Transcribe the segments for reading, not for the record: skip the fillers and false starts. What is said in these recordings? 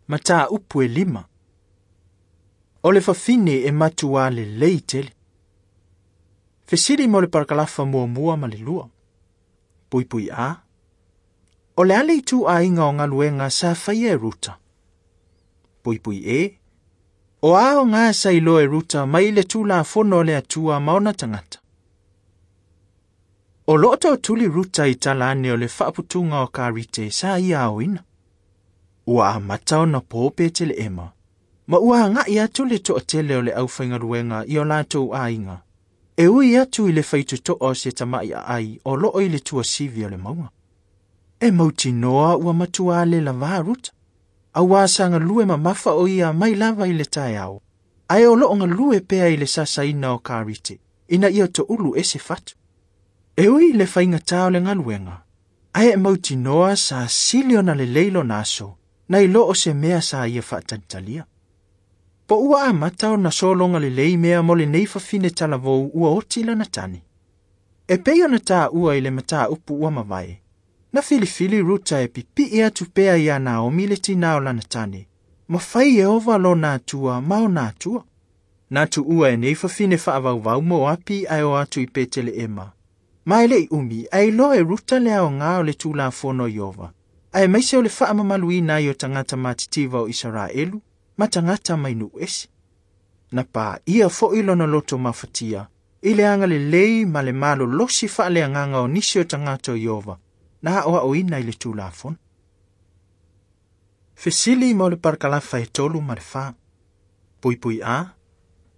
Mataupu e 5. O le fafine e matuā lelei tele. Fesili mo le parakalafa 1 ma le 2. Puipui A. O le a le ituaiga o galuega sa faia e Ruta. Puipui E. O a aoga sa iloa e Ruta mai le Tulafono o le Atua ma ona tagata. O loo tootuli Ruta i tala ane o le faaputuga o karite sa ia aoina. Ua amata ona po Peteleema, ma ua agai atu le toatele o le aufaigaluega i o latou aiga, e ui atu i le faitotoa o se tama'i aai o loo i le tuasivi o le mauga. E mautinoa ua matuā le lavā Ruta, auā sa galue mamafa o ia mai lava i le taeao, ae o loo galue pea i le sasaina o karite, ina ia toulu e se fatu. E ui i le faigatā o le galuega, ae e mautinoa sa sili ona lelei lona aso, nai lo o se mea sa ia faatalitalia. Po ua amata ona sologa lelei mea mo lenei fafine talavou ua oti lana tane. E pei ona taua i le mataupu ua mavae, na filifili Ruta e pipii atu pea iā Naomi le tinā o lana tane, ma fai Ieova lona Atua ma ona atua. Na tuua e nei fafine faavauvau Moapi ae o atu i Peteleema. Ma e le'i umi ae iloa e Ruta le aoga o le Tulafono o Ieova, aemaise o le faamamaluina ai o tagata matitiva o Isaraelu ma tagata mai nuu ese. Na paia foi lona loto mafatia i le agalelei ma le malolosi faaleagaga o nisi o tagata o Ieova na aoaoina i le Tulafono. Fesili mo le parakalafa e 3 ma le 4. Puipui A.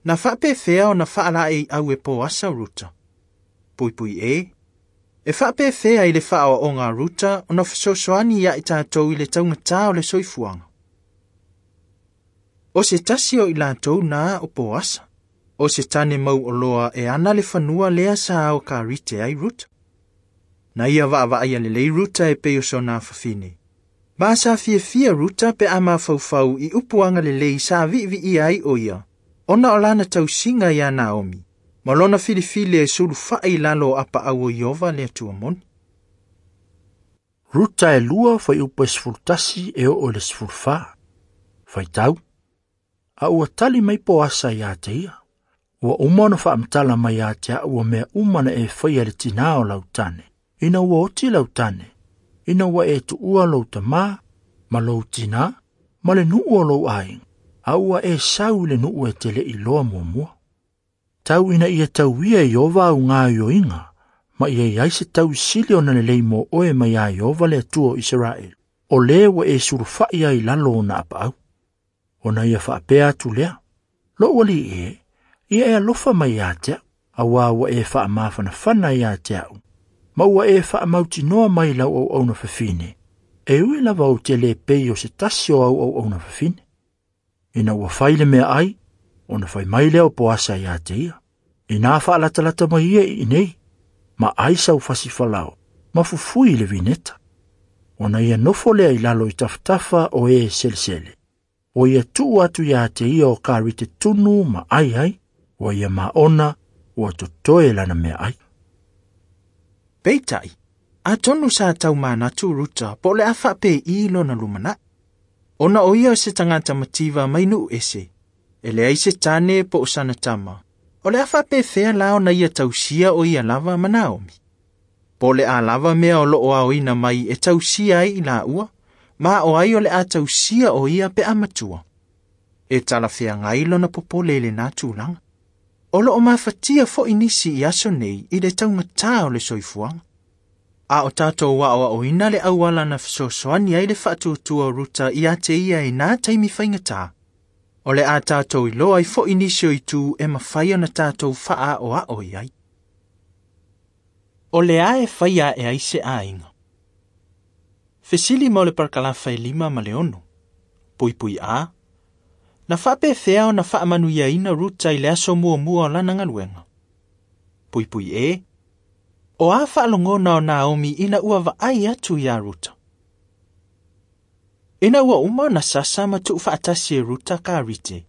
Na faapefea ona faalaeiau e Poasa o Ruta. Puipui E. E faapefea i le faaoaoga a Ruta ona fesoasoani ia i tatou i le taugatā o le soifuaga. O se tasi o i latou na o Poasa. O se tane mauoloa e ana le fanua lea sa ao karite ai Ruta. Na ia vaavaaia lelei Ruta e pei o sona fafine. Ma sa fiafia Ruta pe a mafaufau i upu agalelei sa viiviia ai o ia, ona o lana tausiga iā Naomi, ma lona filifili e sulufai i lalo o apaau o Ieova le Atua moni. Ruta e 2 fuaiupu e 11 e oo i le 14. Faitau. A ua tali mai Poasa ia te ia. Ua uma ona faamatala mai ia te au ua mea uma na e faia le tinā o lau tane. Ina ua oti lau tane, ina ua e tuua lou tamā, ma lou tinā, ma le nuu o lou aiga, a ua e sau i le nuu e te le'i iloa muamua. Tau ina ia tauia e Ieova au gaoioiga, ma ia iai se tausili ona lelei mo oe mai iā Ieova le Atua o Isaraelu, o lē ua e sulufai ai i lalo ona apaau. Ona ia faapea atu lea, lou alii e, ia e alofa mai ia te au, auā ua e faamafanafana ia te au, ma ua e faamautinoa mai lau auauna fafine, e ui lava ou te lē pei o se tasi o au auauna fafine. Ina ua fai le meaai, ona fai mai lea o Poasa ia te ia. Inā faalatalata mai ia i inei, ma ai sau fasifalao, ma fufui i le vineta. Ona ia nofo lea i lalo i tafatafa o e selesele. O ia tuu atu ia te ia o karite tunu ma ai ai, ua ia maona, ua totoe lana meaai. Peitai, atonu sa taumanatu Ruta po o le a faapei lona lumanai. Ona o ia o se tagata mativa mai nuu ese, e leai se tane po o sana tama. O le a faapefea la ona ia tausia o ia lava ma Naomi. Po o le a lava mea o loo aoina mai e tausia ai i laua, ma o ai o le a tausia o ia pe a matua. E talafeagai lona popole i lenā tulaga. O loo mafatia foi nisi i aso nei i le taugatā o le soifuaga. A o tatou aoaoina le auala na fesoasoani ai le faatuatua o Ruta ia te ia i nā taimi faigatā. O le a tatou iloa ai foi nisi o itu e mafai ona tatou faaaoao i ai. O le a e faia e ai se aiga. Fesili mo le parakalafa e 5 ma le 6. Puipui A. Na faapefea ona faamanuiaina Ruta i le aso muamua o lana galuega. Puipui E. O a faalogona o Naomi ina ua vaai atu iā Ruta. Ina ua uma ona sasa ma tuufaatasi e Ruta karite.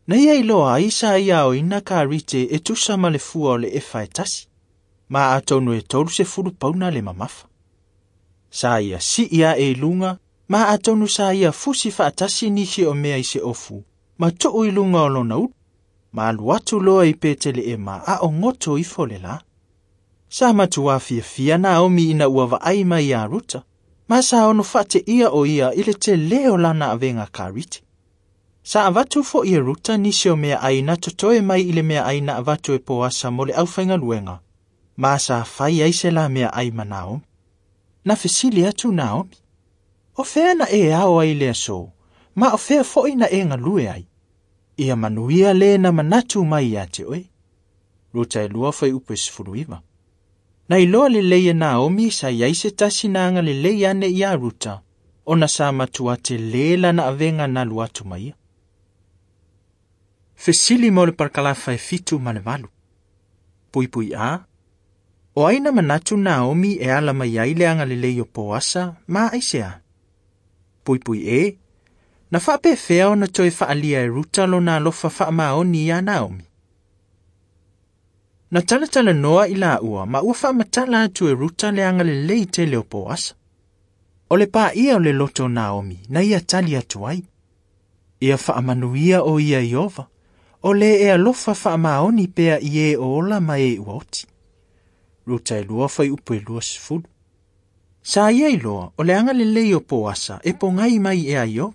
Na ia iloa ai sa ia aoina karite e tusa ma le fua o le efa e tasi. Ma atonu e 30 pauna le mamafa. Sa ia sii ae i luga Ma atonu sa ia fusi faatasi nisi o mea i se ofu, ma tuu i luga o lona ulu. Ma alu atu loa i Peteleema a o goto ifo le la. Sa matuā fiafia Naomi ina ua vaai mai iā Ruta, ma sa ono faateia o ia i le telē o lana avega karite. Sa avatu fo'i e Ruta nisi o meaai na totoe mai i le meaai na avatu e Poasa mo le aufaigaluega, ma sa fai ai se la meaai ma Naomi. Na fesili atu Naomi, o fea na e ao ai le aso, ma o fea fo'i na e galue ai. Ia manuia lē na manatu mai ia te oe. Ruta 2:19. Na iloa lelei e Naomi sa iai se tasi na agalelei ane iā Ruta, ona sa matua telē lana avega na alu atu ma ia. Fesili mo le parakalafa e 7 ma le 8. Puipui A. O ai na manatu Naomi e ala mai ai le agalelei o Poasa, ma aisea? Puipui E. Na faapefea ona toe faaalia e Ruta lona alofa faamaoni iā Naomi. Na talatalanoa i laua ma ua faamatala atu e Ruta le agalelei tele o Poasa. O le paia o le loto o Naomi na ia tali atu ai. Ia faamanuia o ia Iova, o le e alofa faamaoni pea i e o ola ma e ua oti. Ruta 2:20. Sa ia iloa o le agalelei o Poasa e pogai mai e Iova,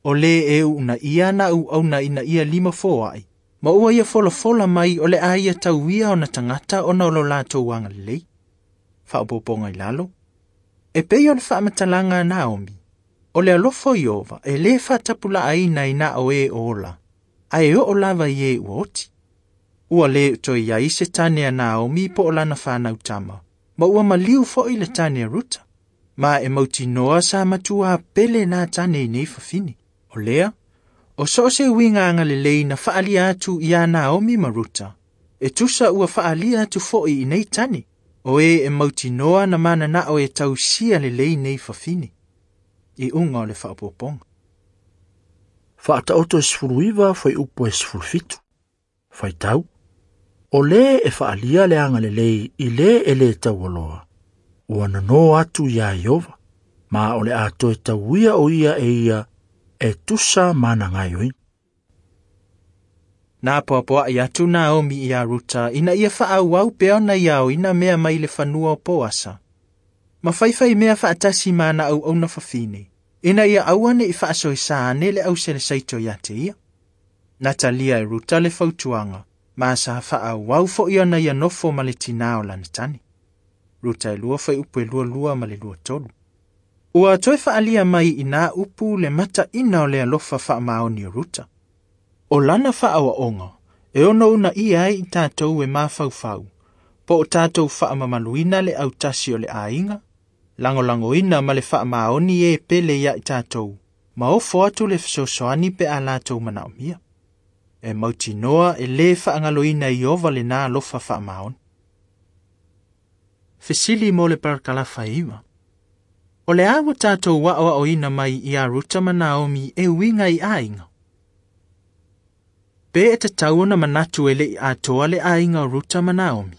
o le e uuna ia na auauna ina ia lima foai, ma ua ia folafola mai o le a ia tauia ona tagata ona o lo latou agalelei. Faaopoopoga i lalo. E pei o le faamatalaga a Naomi, o le alofa o Iova e lē faatapulaaina i na o e o ola, ae oo lava i e ua oti. Ua lē toe iai se tane a Naomi po o lana fanau tama, ma ua maliu fo'i le tane a Ruta, ma e mautinoa sa matuā pele na tane i nei fafine. O lea, o so o se uiga agalelei na faalia atu iā Naomi ma Ruta, e tusa ua faalia atu fo'i i nei tane, o e e mautinoa na mananao e tausia lelei nei fafine. I uga o le faaopoopoga. Faataoto 19 fuaiupu e 17. Faitau. O lē e faalia le agalelei i lē e lē taualoa, ua nono atu iā Iova, ma o le a toe tauia o ia e ia e tusa ma ana gaoioiga. Na apoapoai atu Naomi iā Ruta ina ia faaauau pea ona ia aoina mea mai le fanua o Poasa. Ma faifai mea faatasi ma ana auauna fafine, ina ia aua ne i faasoesa ane le auselesaito ia te ia. Na talia e Ruta le fautuaga, ma sa faaauau fo'i ona ia nofo ma le tinā o lana tane. Ruta 2:22 ma le 23. Ua toe faalia mai i nā upu le mataina o le alofa faamaoni o Ruta. O lana faaoaoga, e ono una ia ai i tatou e mafaufau, po o tatou faamamaluina le autasi o le aiga, lagolagoina ma le faamaoni e pele ia i tatou, ma ofo atu le fesoasoani pe a latou manaomia. E mautinoa e lē faagaloina Iova lenā alofa faamaoni. Fesili mo le parakalafa 9. O le a ua tatou aoaoina mai iā Ruta ma Naomi e uiga i aiga. Pe e tatau ona manatu e le'i atoa le aiga o Ruta ma Naomi.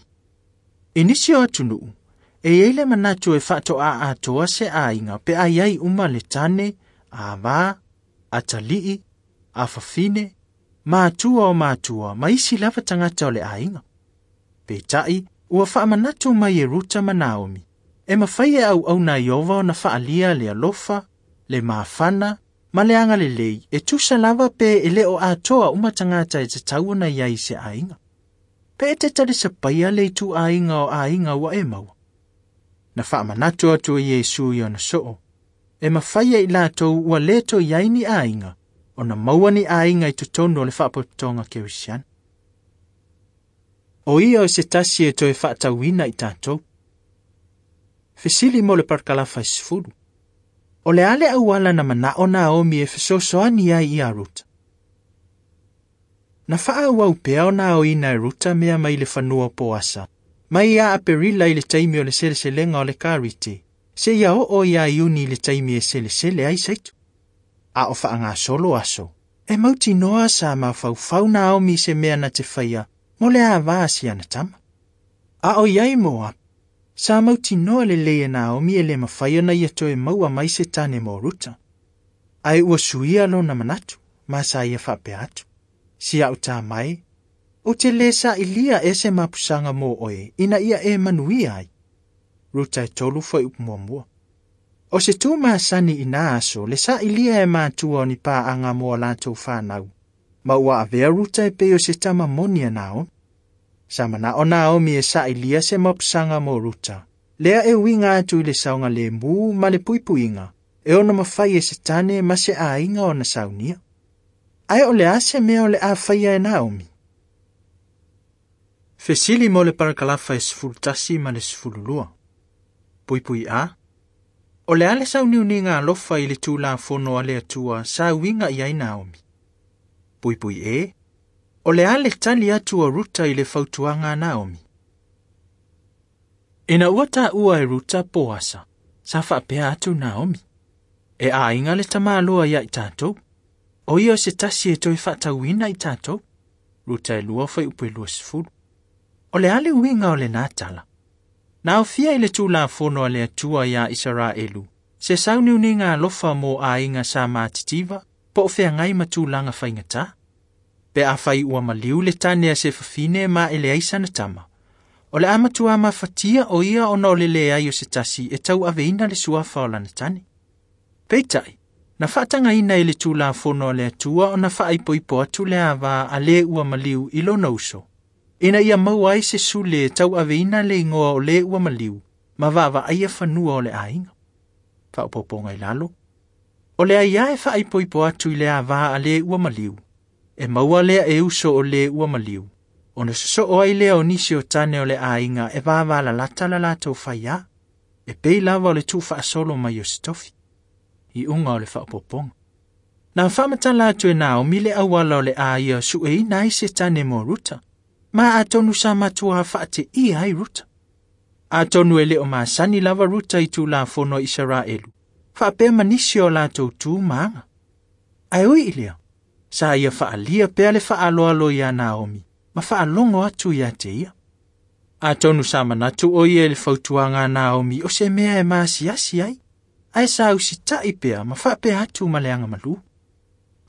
I nisi o atunuu, e iai le manatu e faatoā atoa se aiga pe a iai uma le tane, avā, atalii, afafine, matua o matua ma isi lava tagata o le aiga. Peitai, ua faamanatu mai e Ruta ma Naomi, e mafai e auauna Iova ona faalia le alofa, le mafana, ma le agalelei e tusa lava pe e le o atoa uma tagata e tatau ona iai i se aiga. Pe e te talisapaia le itu aiga o aiga ua e maua. Na faamanatu atu e Iesu i ona soo, e mafai e i latou ua lē toe iai ni aiga, ona maua ni aiga i totonu o le faapotopotoga kerisiano. O ia o se tasi e toe faatauina i tatou. Fesili mo le parakalafa 10. O le a le auala na manao Naomi e fesoasoani ai iā Ruta. Na faaauau pea ona aoina e Ruta mea mai le fanua o Poasa, mai ia Aperila i le taimi o le seleselega o le karite, seia oo iā Iuni i le taimi e selesele ai saito. A o faagasolo aso, e mautinoa sa mafaufau Naomi i se mea na te faia mo le avā si ana tama. A o iai Moapi, Sa mautinoa lelei e Naomi e le mafai ona ia toe maua mai se tane mo Ruta. Ae ua suia lona manatu, ma sa ia faapea atu. Si a'u tama e, ou te lē saʻilia ea se mapusaga mo oe ina ia e manuia ai. Ruta e 3 fuaiupu 1. O se tu masani i nā aso le saʻilia e matua o ni pāʻaga mo a latou fanau, ma ua avea Ruta e pei o se tama moni a Naomi. Sa manaʻo Naomi e saʻilia se mapusaga mo Ruta, lea e uiga atu i le saogalēmū ma le puipuiga, e ona mafai e se tane ma se āiga ona saunia. Ae o le a se mea o le a faia e Naomi? Fesili mo le parakalafa e 11 ma le 12. Puipui A. O le a le sauniuniga alofa i le Tulafono a le Atua sa uiga i ai Naomi. Puipui E. O le a le tali atu a Ruta i le fautuaga a Naomi. Ina ua taua e Ruta Poasa, sa faapea atu Naomi. E aiga le tamāloa ia i tātou. O ia o se tasi e toe faatauina i tātou. Ruta e 2 fuaiupu e 20. O le a le uiga o lenā tala. Na aofia i le Tulafono a le Atua iā Isaraelu, se sauniuniga alofa mo aiga sa matitiva, po o feagai ma tulaga faigata. Pe afai ua maliu le tane a se fafine ma e leai sana tama. O le a matua mafatia o ia ona o le leai o se tasi e tauaveina le suafa o lana tane. Peitai, na faatagaina i le Tulafono a le Atua ona faaipoipo atu le avā a le ua maliu i lona uso, ina ia maua ai se sule e tauaveina le igoa o le ua maliu, ma vaavaaia fanua o le aiga. Faaopoopoga i lalo. O le aiā e faaipoipo atu i le avā a le ua maliu, e maua lea e uso o le ua maliu, ona sosoo ai lea o nisi o tane o le aiga e vavalalata la latou faiā, e pei lava o le tuufaasolo mai o se tofi. Iuga o le faaopoopoga. Na faamatala atu e Naomi le auala o le a ia sueina ai se tane mo Ruta, ma atonu sa matua faateia ai Ruta. Atonu e le o masani lava Ruta i Tulafono a Isaraelu, faapea ma nisi o latou tu ma aga. Ae ui i lea, sa ia faaalia pea le faaaloalo iā Naomi, ma faalogo atu ia te ia. Atonu sa manatu o ia i le fautuaga a Naomi o se mea e maasiasi ai, ae sa usitaʻi pea ma faapea atu ma le agamalū.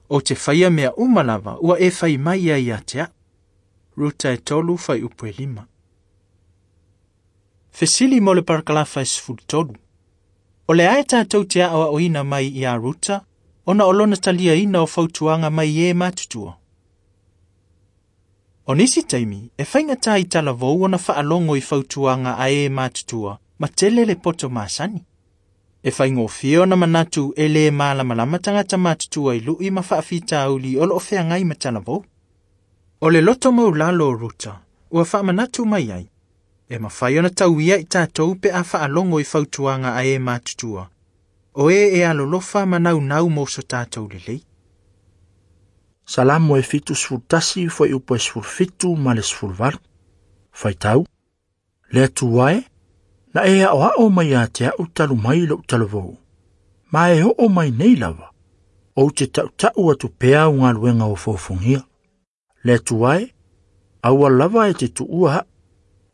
O te faia mea uma lava ua e fai mai ai ia te aʻu. Ruta e 3 fuaiupu e 5. Fesili mo le parakalafa e 13. O le a e tātou te aʻoaʻoina mai iā Ruta, ona o lona taliaina o fautuaga mai e matutua. O nisi taimi, e faigata i talavou ona faalogo i fautuaga a e matutua, ma tele le poto masani. E faigofie ona manatu e lē malamalama tagata matutua i luʻi ma faafitauli o loo feagai ma talavou. O le loto maulalo o Ruta, ua faamanatu mai ai. E mafai ona tauia i tātou pe a faalogo i fautuaga a e matutua. O e e alolofa ma naunau mo so tātou lelei. Salamo e 71 fuaiupu e 17 ma le 18. Faitau, le Atua e, na e aʻoaʻo mai ia te aʻu talu mai loʻu talavou. Ma e oo mai nei lava, ou te taʻutaʻu atu pea au galuega o fofogia. Le Atua e, aua lava e te tuua aʻu,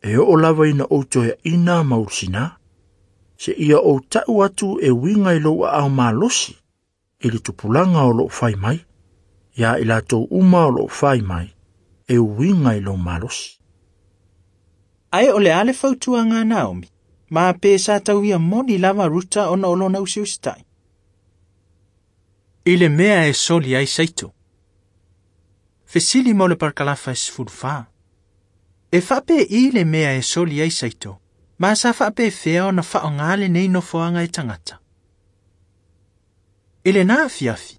e oo lava ina ou toeaʻina ma ulusinā. Se ia ou taʻu atu e uiga i lou aao malosi, i le tupulaga o loo fai mai, ia i latou uma o loo fai mai, e uiga i lou malosi. Ae o le a le fautuaga a Naomi, ma pe sa tauia moni lava Ruta ona o lona usiusitaʻi. I le mea e soli ai saito. Fesili mo le parakalafa e 14. E faapeʻi le mea e soli ai saito, ma sa faapefea ona faaaogā lenei nofoaga e tagata. I lenā afiafi,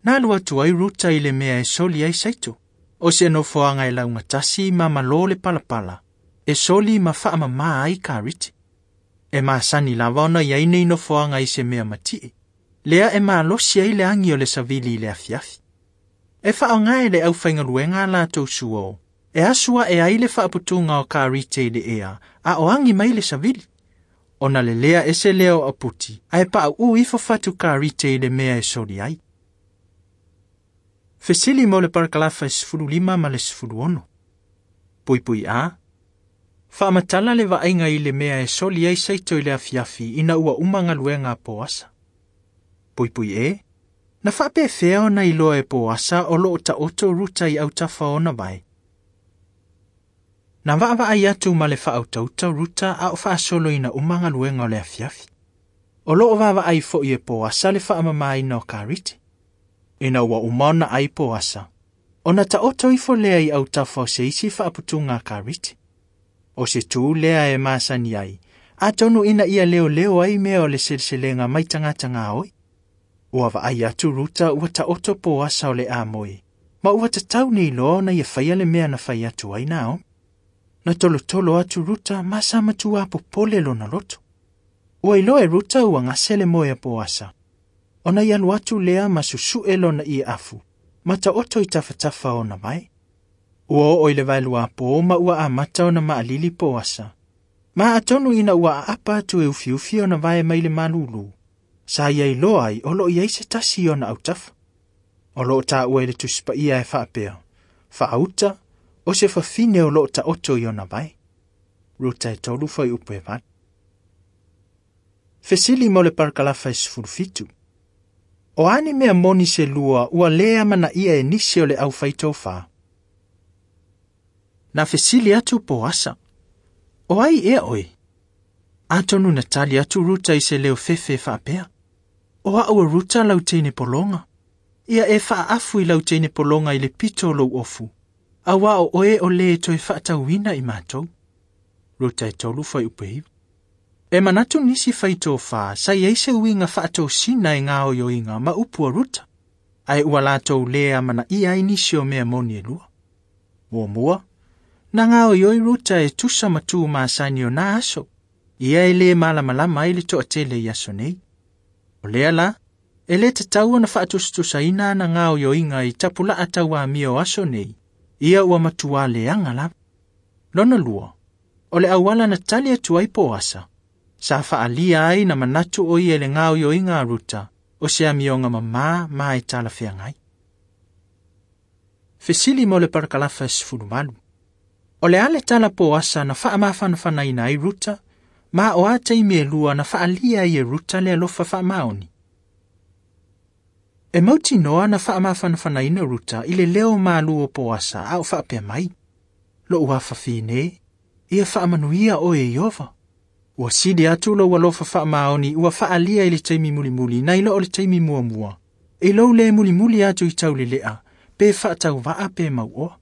na alu atu ai Ruta i le mea e soli ai saito, o se nofoaga e laugatasi ma malō le palapala, e soli ma faamamā ai kariti. E masani lava ona iai nei nofoaga i se mea matie, lea e malosi ai le agi o le savili i le afiafi. E faaaogā e le aufaigaluega a latou suō, e asu aʻe ai le faaputuga o karite i le ea, a o agi mai le savili. Ona lelea ese lea o aputi, ae paʻuʻu ifo fatu karite i le mea e soli ai. Fesili mo le parakalafa e 15 ma le 16. Puipui A. Faamatala le vaaiga i le mea e soli ai saito i le afiafi ina ua uma galuega a Poasa. Puipui e, na faapefea ona iloa e Poasa o loo taoto Ruta i autafa ona vae. Na vaavaai atu ma le faautauta Ruta a o faasoloina uma galuega o le afiafi. O loo vaavaai foi e Poasa le faamamaina o karite. Ina ua uma ona ai Poasa, ona taoto ifo lea i autafa o se isi faaputuga a karite. O se tū lea e masani ai, atonu ina ia leo leo ai mea o le seleselega mai tagata oi. Ua vaai atu Ruta ua taoto Poasa o le amoe, ma ua tatau nei loa ona ia faia le mea na fai atu ai Naomi. Na tolotolo atu Ruta ma sa matua popole lona loto. Ua iloa e Ruta ua gase le moe a Poasa. Ona ia alu atu lea ma susue lona ie afu, ma taoto i tafatafa ona vae. Ua oo i le vaelua pō ma ua amata ona maalili Poasa. Ma atonu ina ua aapa atu e ufiufi ona vae mai le malulu. Sa ia iloa ai o loo iai se tasi ona autafa. O loo taua i le tusipaia e faapea. Faauta, o se fafine o loo taoto i ona vae. Ruta e 3 fai upu e 8. Fesili mo le parakalafa e 17. O ani mea moni se lua ua lea amanaia e nisi o le aufaitofa. Na fesili atu Poasa. O ai ea oe? Atonu na tali atu Ruta i se leo fefe faapea. O au e Ruta lau teine pologa. Ia e faaafu i lau teine pologa i le pito o lou ofu. Auā o oe o le toe faatauina i matou. Ruta e 3 fai upu e 9. E manatu nisi faitofa sa iai se uiga faatosina e gaoioiga ma upu a Ruta. Ae ua latou lē amanaia ai nisi o mea moni e lua. Muamua, na gaoioi Ruta e tusa ma tu masani o na aso. Ia e lē malamalama ai le toatele i aso nei. O lea la, e lē tatau ona faatusatusaina ana gaoioiga i tapulaa tauamia o aso nei. Ia ua matuā leaga lava. Lona lua, o le auala na tali atu ai Poasa. Sa faalia ai na manatu o ia i le gaoioiga a Ruta, o se amioga mamā ma e talafeagai. Fesili mo le parakalafa e 18. O le a le tala Poasa na faamafanafanaina ai Ruta, ma o a taimi e lua na faalia ai e Ruta le alofa faamaoni. E mautinoa na faamafanafanaina Ruta i le leo malu o Poasa a o faapea mai. Lou afafine, ia faamanuia oe e Ieova. Ua sili atu lou alofa faamaoni ua faalia i le taimi mulimuli nai lo o le taimi muamua. E lou le mulimuli atu i taulelea, pe faatauvaa pe mauoa.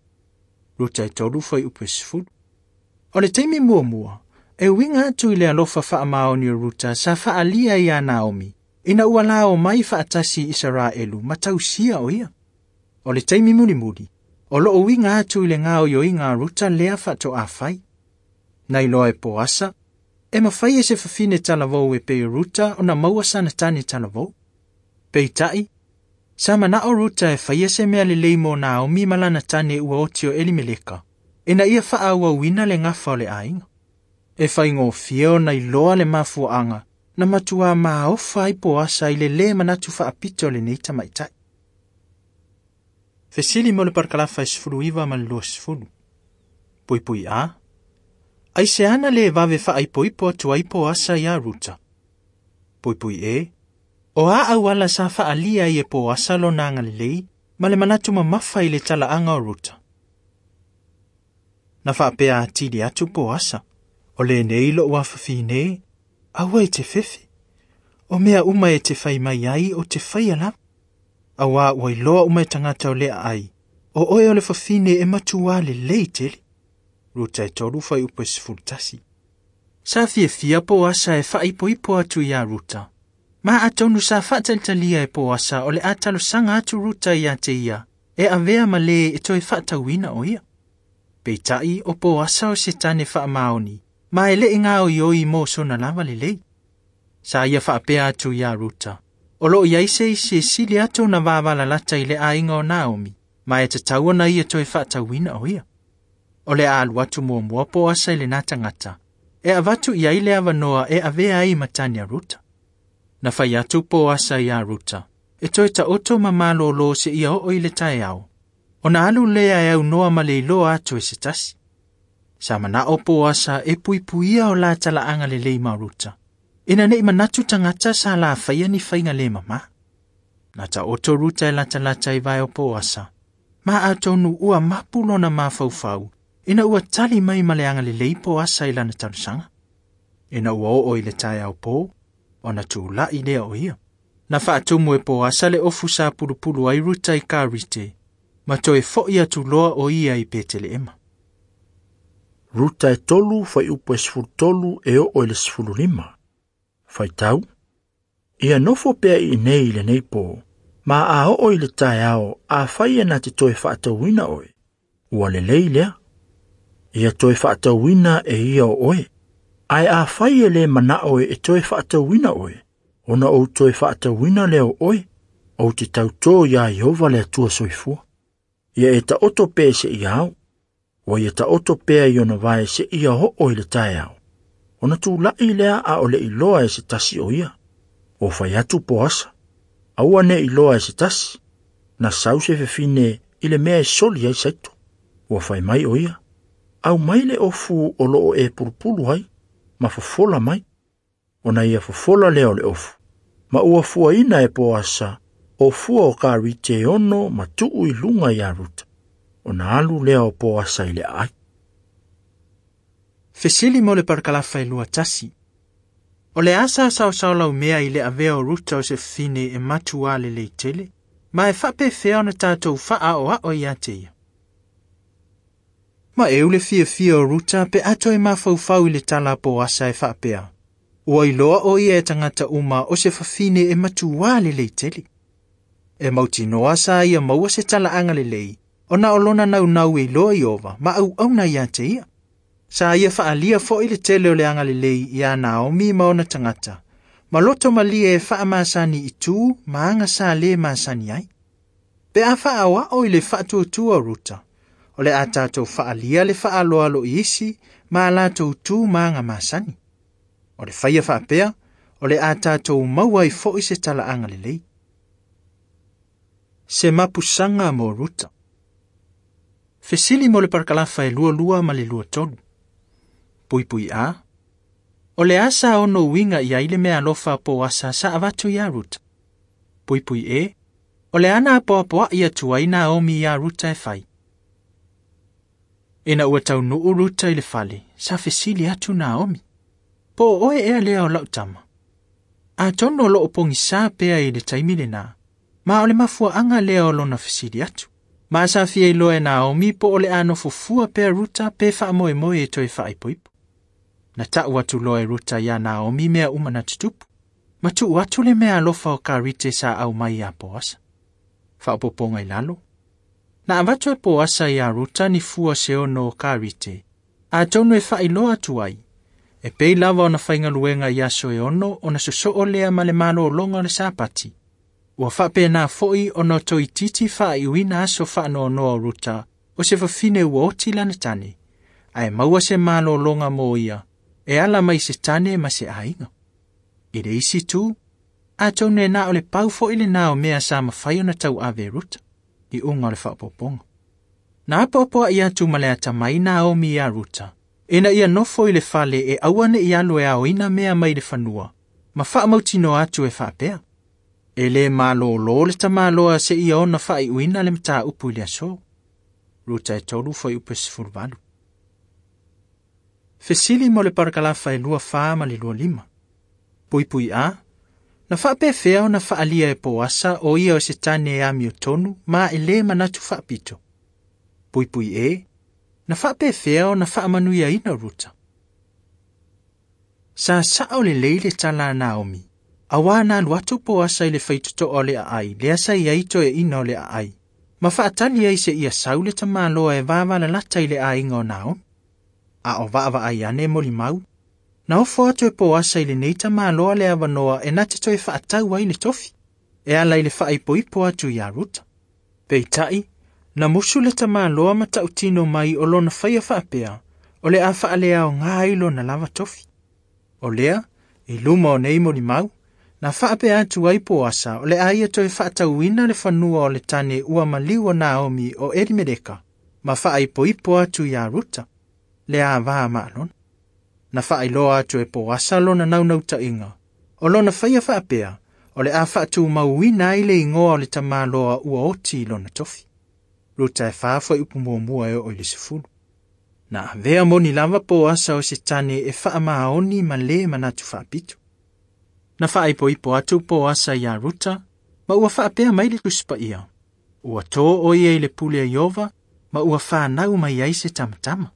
Ruta e 3 fai upu e 10. O le taimi muamua, e uiga atu i le alofa faamaoni o Ruta sa faalia ia Naomi, ina ua lao mai faatasi i Isaraelu ma tausia o ia. O le taimi mulimuli, o loo uiga atu i le gaoioiga a Ruta lea faatoafai. Na iloa e Poasa, e mafai e se fafine talavou e pei Ruta ona maua sana tane talavou. Peitai, sa manao Ruta e faia se mea lelei mo Naomi ma lana tane ua oti o Elimeleka, ina ia faaauauina le gafa o le aiga. E faigofie ona iloa le mafuaaga na matuā maofa ai Poasa i le lē manatu faapito o lenei tamaitai. Fesili mo le parakalafa e 19 ma le 20. Puipui a. Ai se ana le vave faaipoipo atu ai Poasa iā Ruta. Puipui e. O a auala sa faalia ai e Poasa lona agalelei ma le manatu mamafa i le talaaga o Ruta. Na faapea atili atu Poasa. O lenei lou afafine, aua e te fefe. O mea uma e te fai mai ai o te faia lava. Auā ua iloa uma e tagata o lea ai. O oe o le fafine e matuā lelei tele. Ruta e 3 fai upu e 11. Sa fiafia Poasa e faaipoipo atu iā Ruta. Ma atonu sa faatalitalia e Poasa o le a talosaga atu Ruta ia te ia, e avea ma lē e toe faatauina o ia. Peitai o Poasa o se tane faamaoni, ma e le'i gaoioi mo sona lava lelei. Sa ia faapea atu iā Ruta. O loo iai se isi e sili atu ona vavalalata i le aiga o Naomi, ma e tatau ona ia toe faatauina o ia. O le a alu atu muamua Poasa i lena tagata, e avatu i ai le avanoa e avea ai ma tane a Ruta. Na fai atu Poasa iā Ruta, e toe taoto ma malōlō seia oo i le taeao. Ona alu lea e aunoa ma le iloa atu e se tasi. Sa mana'o Poasa e puipuia o la tala'aga lelei ma Ruta, ina ne'i manatu tagata sa lafaia ni faiga lē mamā. Na ta'oto Ruta e latalata i vae o Poasa, ma atonu ua mapu lona mafaufau, ina ua tali mai ma le agalelei Poasa i lana talosaga. Ina ua oo i le taeao pō, ona tula'i lea o ia. Na faatumu e Poasa le ofu sa pulupulu ai Ruta i Karite, ma toe fo'i atu loa o ia i Petele'ema. Ruta e 3 fuaiupu e 13 e oo i le 15. Faitau, ia nofo pea i inei i lenei pō, ma a oo i le taeao afai e na te toe faatauina oe, ua lelei lea. Ia toe faatauina e ia o oe, ae afai e lē mana'o e toe faatauina oe, ona ou toe faatauina lea o oe, ou te tautō iā Ieova le Atua soifua. Ia e ta'oto pea seia ao, ua ia ta'oto pea i ona vae seia oo i le taeao. Ona tula'i lea a o le iloa e se tasi o ia. Ua fai atu Poasa, aua ne iloa e se tasi, na sau se fefine i le mea e soli ai saito. Ua fai mai o ia, au mai le ofu o loo e pulupulu ai, ma fofola mai. Ona ia fofola lea o le ofu, ma ua fuaina e Poasa, o fua o Karite ono ma tuu i luga iā Ruta. Ona alu lea o Poasa i le aai. Fesili mo le parakalafa e 21. O le asa saosaolaumea i le avea o Ruta o se fafine e matuā lelei tele, ma e faapefea ona tatou faaoao ia te ia. Ma e u le fiafia o Ruta pe ato e mafaufau i le tala a Poasa e faapea. Ua iloa o ia e tagata uma o se fafine e matuā lelei tele. E mautinoa sa ia maua se tala'aga lelei, ona o lona naunau e iloa Ieova ma auauna ia te ia. Sa ia fa'alia fo'i le tele o le agalelei iā Naomi ma ona tagata, ma loto malie e fa'amasani i tū ma aga sa lē masani ai. Pe a fa'aoa'o i le fa'atuatua o Ruta, o le a tatou fa'alia le fa'aloalo i isi ma a latou tū ma aga masani. O le faia fa'apea, o le a tatou maua ai fo'i se tala'aga lelei. Se mapusaga mo Ruta. Fesili mo le parakalafa e 22 ma le 23. Puipui a. O le asa ono uiga i ai le mea alofa a Poasa sa avatu iā Ruta. Puipui e. O le ana apoapoa'i atu ai Naomi iā Ruta e fai. Ina ua taunuu Ruta i le fale, sa fesili atu Naomi. Po o oe ea lea o lau tama. Atonu o loo pogisā pea i le taimi lenā, ma o le mafua'aga lea o lona fesili atu. Ma sa fia iloa e Naomi po o le a nofofua pea Ruta pe fa'amoemoe e toe fa'aipoipo. Na ta'u atu loa e Ruta iā Naomi mea uma na tutupu, ma tu'u atu le mea alofa o Karite sa au mai iā Poasa. Fa'aopoopoga i lalo. Na avatu e Poasa iā Ruta ni fua se ono o Karite, atonu e fa'ailoa atu ai. E pei lava ona faigaluega i aso e ono ona soso'o lea ma le malōloga o le Sapati. Ua fa'apenā fo'i ona toititi fa'aiuina aso fa'anoanoa o Ruta o se fafine ua oti lana tane, ae maua se malōloga mo ia, e ala mai se tane ma se aiga. I le isi tū, atonu e na o le pau fo'i lenā o mea sa mafai ona tauave e Ruta, i uga o le fa'aopoopoga. Na apoapoa'i atu ma le atamai Naomi iā Ruta, ina ia nofo i le fale e aua ne'i alu e aoina mea mai le fanua, ma fa'amautinoa atu e fa'apea. E lē malōlō le tamāloa seia ona fa'aiuina le matāupu i le aso. Ruta e 3 fuaiupu e 18. Fesili mo le parakalafa e 24 ma le 25. Puipui a. Na fa'apefea ona fa'alia e Poasa o ia o se tane e amiotonu ma e lē manatu fa'apito. Puipui e. Na fa'apefea ona fa'amanuiaina Ruta. Sa sa'o lelei le tala a Naomi, auā na alu atu Poasa i le faitoto'a o le aai, lea sa i ai toeaina o le aai, ma fa'atali ai seia sau le tamāloa e vavalalata i le aiga o Naomi. A o va'avaai ane molimau, na ofo atu e Poasa i lenei tamāloa le avanoa e na te toe fa'atau ai le tofi, e ala i le fa'aipoipo atu iā Ruta. Peita'i, na musu le tamāloa ma ta'utino mai o lona faia fa'apea, o le a fa'aleaogā ai lona lava tofi. O lea, i luma o nei molimau, na fa'apea atu ai Poasa o le a ia toe fa'atauina le fanua o le tane ua maliu o Naomi o Elimeleka, ma fa'aipoipo atu iā Ruta. Le avā maalona. Na faailoa atu e Poasa lona naunautaiga, o lona faia faapea, o le a faatumauina ai le igoa o le tamaloa ua oti i lona tofi. Ruta e 4 fuaiupu 1 e oo i le 10. Na avea moni lava Poasa o se tane e faamaoni ma le manatu faapito. Na faaipoipo atu Poasa iā Ruta, ma ua faapea mai le Tusi Paia. Ua tō o ia i le pule a Iova, ma ua whānau mai ai se tamatama.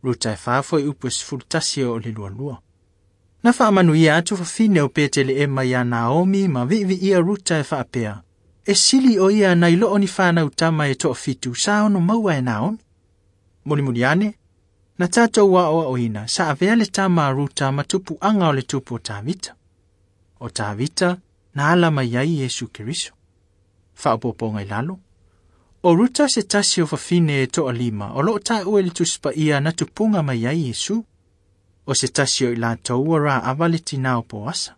Ruta e 4 fuaiupu 11 o le 22. Na faamanuia atu fafine o Peteleema iā Naomi ma viiviia Ruta e faapea, e sili o ia nai loo ni whānau tama e toafitu sa ono maua e Naomi. Mulimuli ane, na tātou aoaoina sa avea le tama a Ruta ma tupuaga o le tupu o Tavita. O Tavita na ala mai ai Iesu Keriso. Faaopoopoga i lalo. O Ruta se tasi o fafine e toalima o loo taua i le Tusi Paia na tupuga mai ai Iesu. O se tasi o i latou ua Raava le tinā o Poasa.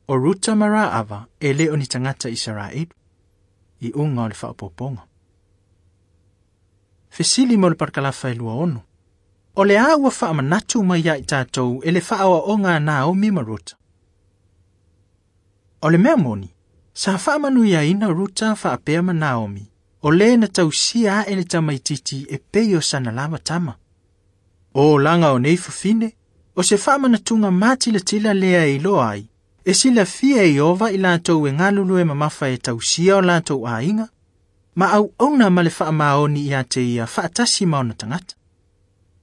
O Ruta ma Raava e le o ni tagata Isaraelu. Iuga o le faaopoopoga. Fesili mo le parakalafa e 26. O le a ua faamanatu mai ia i tatou e le faaoaoga a Naomi ma Ruta. O le mea moni, sa faamanuiaina Ruta faapea ma Naomi, o le na tausia ae le tamaititi e pei o sana lava tama. O olaga o nei fafine, o se faamanatuga matilatila lea e iloa ai, e silafia e Iova i latou e galulue mamafa e tausia o latou aiga, ma auauna ma le faamaoni ia te ia faatasi ma ona tagata.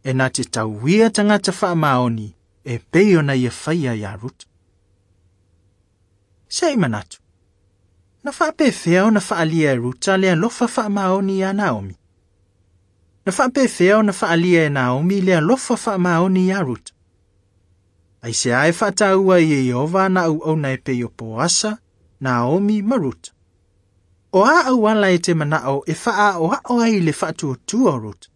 E na te tauia tagata faamaoni e pei ona ia faia iā Ruta. Se i manatu. Na faapefea ona faaalia e Ruta le alofa faamaoni iā Naomi. Na faapefea ona faaalia e Naomi le alofa faamaoni iā Ruta. Aisea e faataua i e Iova na auauna e pei o Poasa, Naomi ma Ruta. O a auala e te manao e faaoao ai le faatuatua o Ruta.